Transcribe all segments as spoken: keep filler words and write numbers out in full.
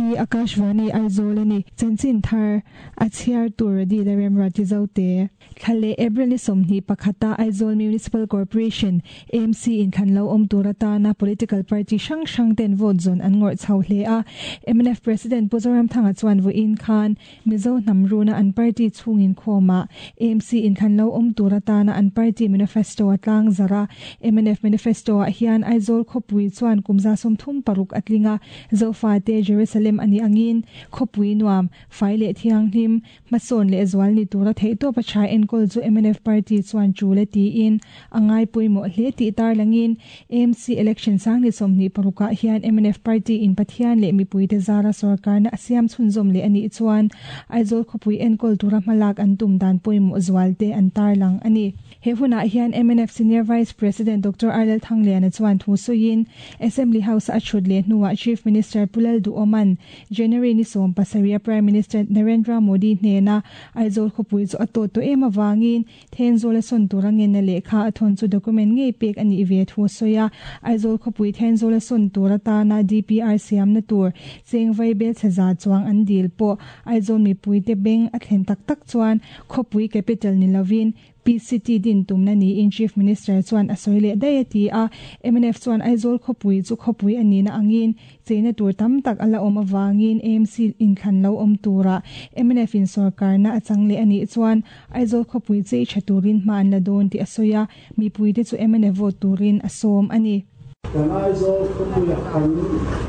hi Akashvani Aizawl ani chanchin thar a chhiar tur di la remra ti zote thale April ni somni pakhata Aizawl Municipal Corporation M C in khanlo om turata na political party sang sang ten vote zone an ngor chau hle a M N F President Puzoram Thanga chuan vo in khan Mizo namruna an party chungin khoma M C in khanlo om turata na an party manifesto atlang zara M N F manifesto a hian Aizawl khopui chuan kumza som thum paruk atlinga zofa te Jerusalem ani angin khopui nuam faile thiang hlim mason le zwal ni tura theito pa chai enkol chu M N F party chuan chule ti in angai puimo hle ti tar langin M C election sang ni somni paruka hian M N F party in Pathian le mipui te zara sarkar na asiam chhunzom le ani chuan Aizawl khopui enkol tura malak an tum dan puimo zwal te an tar lang ani he huna hian M N F Senior Vice President Doctor Arlel Thangliana chuan thu suin Assembly House a chhut le hnuwa Chief Minister Pulal Du Oman January ni som pasaria Prime Minister Narendra Modi hnena Aizawl khopui chu ato to ema wangin Thenzawl son turangin na lekha athon chu document ngei pek ani ve thu soya Aizawl khopui Thenzawl son turata na D P R siam na tur chengvai bel chaza chuang an dil po Aizawl mi puite beng a thlen tak tak chuan khopui capital ni lovin P C T din tumna ni in Chief Minister chuan asoile dayati a M N F chuan Aizawl khopui chu khopui ani na angin cheina tur tam tak ala om awangin A M C in khan lo om tura M N F in sarkar na achangle ani chuan Aizawl khopui chei thaturin man la don ti asoya mi puite chu M N F vote turin asom ani kan Aizawl khopui kan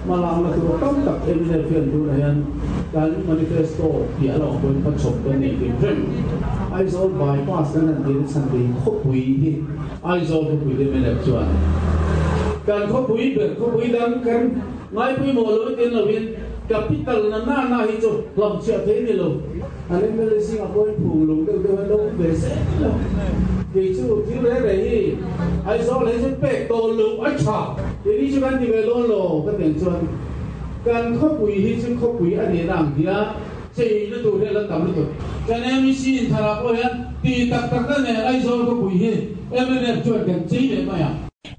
malang na tur tam tak M N F hian tur hian kan manifesto ti ala pon pa chop kan nei tin rem Aizawl bypass kan an dil chan ve khopui hi Aizawl khopui de M N F chuan kan khopui ber khopui dang kan ngai pui mo lo tin lovin capital na na na hi chu lam chia the ni lo an M L A sing a pon phung lung deuh deuh lo ve se lo thì chu thiếu re re hi Aizawl le chu pek to lu a tha ti ni chu kan ti ve lon lo kan den chuan kan khopui hi chu khopui ani nang dia chei lu tu he la tam lu tu kan M C in thara ko hian ti tak tak na ne Aizawl khopui hi M N F chuan kan chei le mai a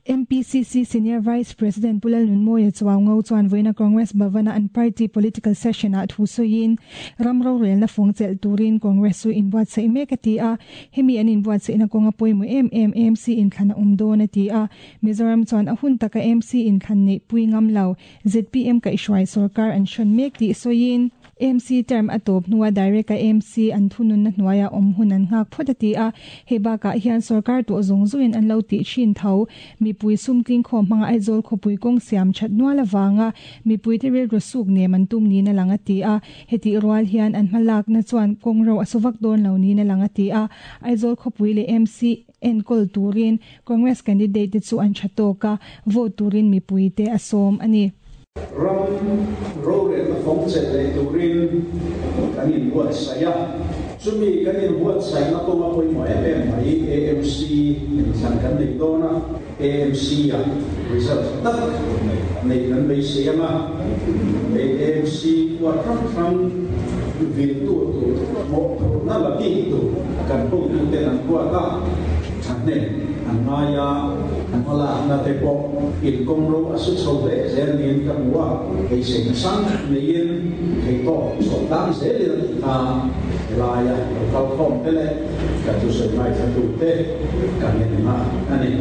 M P C C Senior Vice President Pulal Nunmoya Chuaungo chuan voina Congress Bhavana an party political session a thu soin ramro rel na fongchel turin Congress su in buat sei mek ati a hemi an in buat sei na konga poimu M M M C in khana umdo na ti a Mizoram chuan a hun taka M C in khan nei pui ngam lo Z P M ka ishwai sarkar an shon mek ti soin M C term atop nuwa direct ka M C an thunun na hnuaia om hun an ngak photati a heba ka hian sarkar to zongzuin an lo ti chin tho mi pui sumtling khom hanga Aizawl khopui kong siam that nuala wanga mi pui te rel rosuk ne man tum ni na langa ti a heti rual hian an malak na chuan kong ro asuvak don lo ni na langa ti a Aizawl khopui le M C enkol turin Congress candidate chu an chatoka vote turin mi pui te asom ani ram ro re na phong che le turin kan in buat saya chumi kan in buat sai na ko ma poi mo M M mai A M C in chan kan nei do na A M C a result tak nei kan bei se ma A M C wa ram ram vil tu tu mo na la ki tu kan po tu te nan wa ta chan ne an maya an wala na te po in kong ro asu chho le zel nin ka muwa hei seng sang nei in hei to so tang se le ta la ya lo kal khom te le ka tu se mai tha tu te ka ne ma ani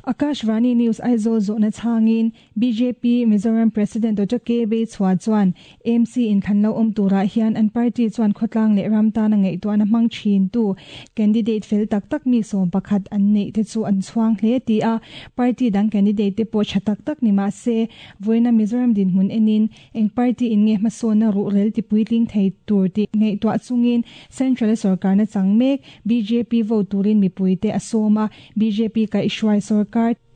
Akashvani News Aizawl zona changin B J P Mizoram President Doctor K B Chua chuan M C in khanlo om tura hian an party chuan khotlang le ramta na ngei to na mang thin tu candidate fel tak tak mi som pakhat an nei te chu an chuang hle ti a party dang candidate te po chatak tak ni ma se voina Mizoram din hun enin eng party in nge masona ru rel ti puitling thei tur ti ngei to chungin central sarkar na changmek B J P vote turin mi puite asoma B J P ka ishwai sarkar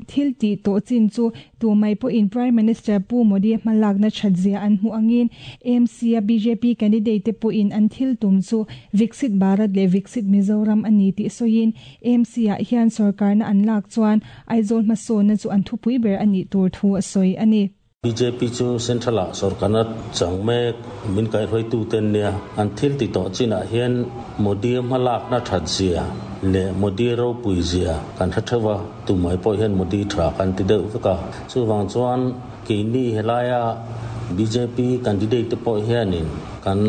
thil ti to chin chu tu mai po in Prime Minister Pu Modi malak na chadzia an hu angin M C a B J P candidate te po in an thil tum chu Viksit Bharat le Viksit Mizoram ani ti soin M C a hian sarkar na an lak chuan Aizawl maso na chu an thupui ber ani tur thu soi ani B J P chu central sarkar na changme min kai hroi tu ten nia an thil ti to china hian Modi malak na thadzia le Modi ro puizia kan thathawa tu mai po hian Modi tha kan ti deuh ka chu wang chuan ke ni helaya B J P candidate te pawh hianin kan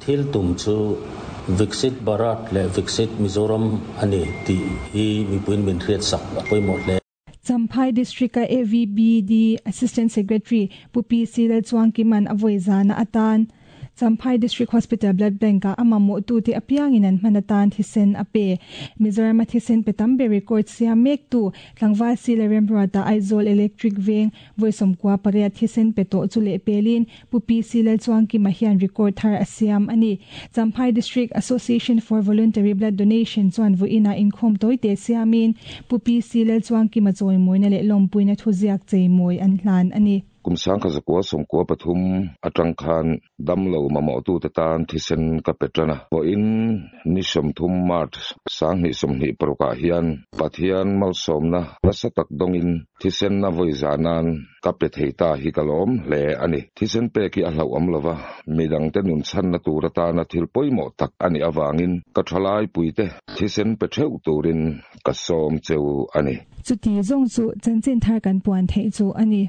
thil tum chu Viksit Bharat leh Viksit Mizoram ani tih hi mipuiin min hriat sak a pawimawh hle. Champhai District a A V B D Assistant Secretary Pu P C Lalchuangkima'n a vawi zana atan Champhai District Hospital Blood Bank a amamawh tu te apiangin an hman atan thisen a pe. Mizoram a thisen pe tam ber record siam mek tu tlangval C Lalremruata, Aizawl Electric Veng, vawi sawmkua pariat thisen pe tawh chu leh pelin Pu P C Lalchuangkima hian record thar a siam ani. Champhai District Association for Voluntary Blood Donation chuan vawiinah inkhawm tawite siamin Pu P C Lalchuangkima chawimawina leh lawmpuina thuziak cheimawi an hlan ani. Kum sangkhat zakua sawmkua pathum atang khan damlo mamawh tu te tan thisen ka pe tan a. Vawiin ni sawmthum March sanghnih sawmhnih parukah hian Pathian malsawmna nasa tak dawngin thisen na vawi zanan ka pe thei ta hi ka lawm hle ani. Thisen pek hi a hlauhawm lova, midang te nun chhanna tur atana thil pawimawh tak ani awangin ka thalai puite thisen pe theuh turin ka sawm cheu ani. Chuti zawng chu chanchin thar kan puan theih chu ani.